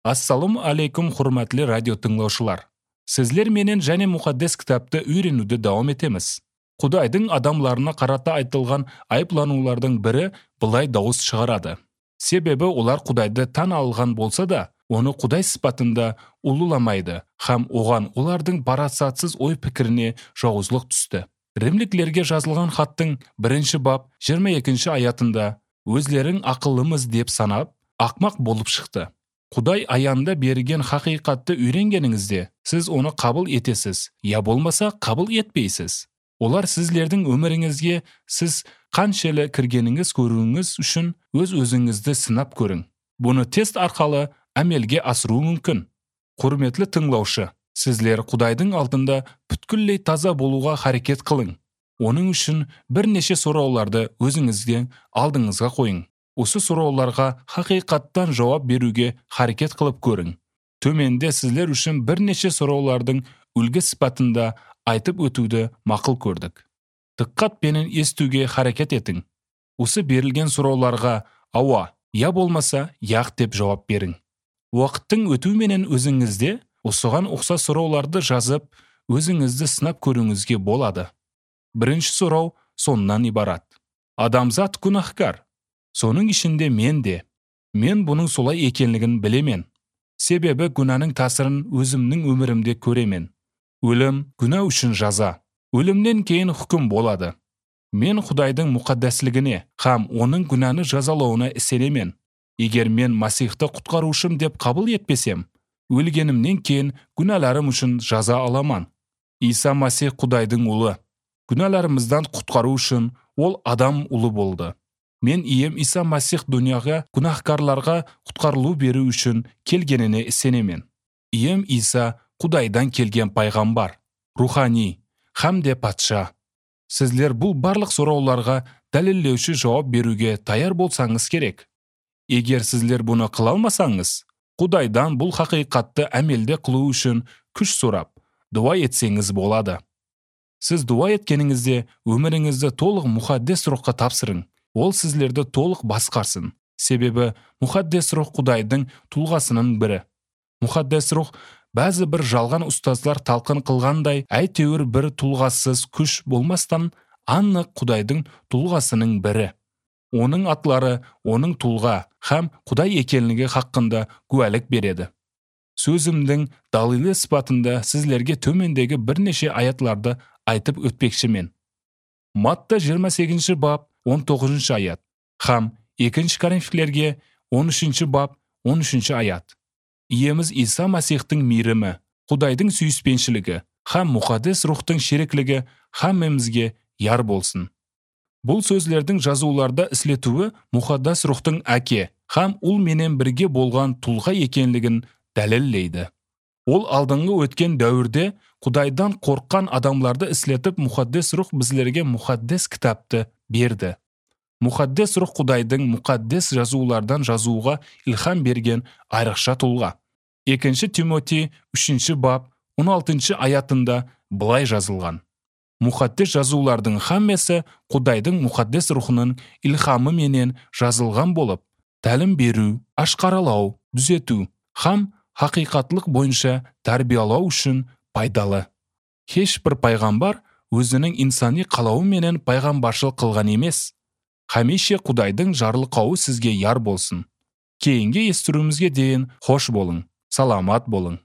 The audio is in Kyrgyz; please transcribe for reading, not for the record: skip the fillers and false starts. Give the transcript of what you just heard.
Ассаламу алейкум, урматтуу радио тыңлоочулар. Сизлер менен және мукаддес китапты үйрөнүүдө дауам этебиз. Кудайдын адамдарына карата айтылган айыплануулардын бири былай дауыс чыгарады. Себеби олар Кудайды тан алган болса да, оны Кудай сыпатында улуламайды, хам оган олардын барасатсыз ой пикирине жоозлук түстү. Римликлерге жазылган хаттын 1-бап 22-аятында өзлерин акыллымыз деп санап, акмак болуп чыкты. Кудай аянда берген хакыйкатты үйрөнгениңизде, сиз оны кабыл этесиз, я болмаса кабыл этпейсиз. Олар сизлердин өмүрүңүзгө сиз канча эле киргениңиз көрүүңүз үчүн өз-өзүңүздү сынап көрүң. Буну тест аркылуу амелге асыруу мүмкүн. Курметтүү тыңлоочу, сизлер Кудайдын алдында бүткүллөй таза болууга аракет кылың. Онун үчүн бир нече суроолорду өзүңүздүн алдыңызга коюң. Осы суроолорго хакыйкаттан жооп берүүгө аракет кылып көрүң. Төмөндө сизлер үчүн бир нече суроолордун үлгү сыпатында айтып өтүүдө макул көрдүк. Дыккат менен эстүүгө аракет этиң. Осы берилген суроолорго ооба, я болмаса як деп жооп бериң. Убакыттын өтүү менен өзүңүздө осуган окшош суроолорду жазып, өзүңүздү сынап көрүүңүзгө болот. Биринчи суроо сонунан ибарат. Адамзат күнахкар. Сонун ичинде мен де. Мен бунун солай экенлигин билемен. Себеби күнанын таасирин өзүмдүн өмүрүмдө көремен. Өлүм күнөө үчүн жаза. Өлүмдөн кийин hukm болот. Мен Кудайдын мукаддаслыгыне, хам онун күнаны жазалооуна ишенемен. Эгер мен Масихти куткаруушум деп кабыл этпесем, өлгөнүмдөн кийин күнәларым үчүн жаза аламан. Иса Масих Кудайдын улу. Күнәларымыздан куткаруу үчүн ол адам улу болду. Мен ием Иса Масих дүйнөгө күнахкарларга куткарылуу берүү үчүн келгенине ишенемен. Ием Иса Кудайдан келген пайгамбар, руханий, хамде патша. Сизлер бул барлык суроолорго далилдөөчү жооп берүүгө даяр болсаңыз керек. Эгер сизлер буну кыла алмасаңыз, Кудайдан бул хакыйкатты амелде кылуу үчүн күч сурап, дуа этсеңиз болот. Сиз дуа эткениңизде өмүрүңүздү толук мукаддес рухка тапсырың. Ол сизлерди толук баскарсын. Себеби мукаддес рух Кудайдын тулгасынын бири. Мукаддес рух баазы бир жалган устазлар талкын кылгандай, айтөөр бир тулгасыз күч болмастан аннык Кудайдын тулгасынын бири. Онун атлары онун тулга хам Кудай экенлиги хакында күбөлүк береді. Сөзүмдүн далилы сыпатында сизлерге төмөндөгү бир нече аятларды айтып өтпекчимен. Матта 28-бап 19-аят. Хам 2-Коринфилерге 13-бап 13-аят. Иемиз Иса Масихтин мирими, Кудайдын сүйүспенчилиги, хам мукаддес рухтун шериклиги хаммамызга яр болсун. Бул сөзлөрдүн жазууларда ислетүүбү мукаддас рухтун аке, хам ул менен бирге болгон тулга экенлигин далилдейди. Ол алдыңгы өткөн дәүрдө Кудайдан корккан адамдарды ислетип, мукаддес рух бизлерге мукаддес китапты берди. Мукаддес рух Кудайдын мукаддес жазуулардан жазууга илхам берген айрыкча тулга. 2 Тимотей 3-бап 16-аятында былай жазылган. Мукаддес жазуулардын хаммасы Кудайдын мукаддес рухунун илхамы менен жазылган болуп, талим берүү, ашкаралоо, түзөтүү, хам хакыйкатлык боюнча тарбиялоо үчүн пайдалы. Эч бир пайгамбар өзүнүн инсаний калабы менен пайгамбарчылык кылган эмес. Хамише Кудайдын жарлыкабы сизге яр болсун. Кейинги эстүүрүбүзгө дейин хош болуң, саламат болуң.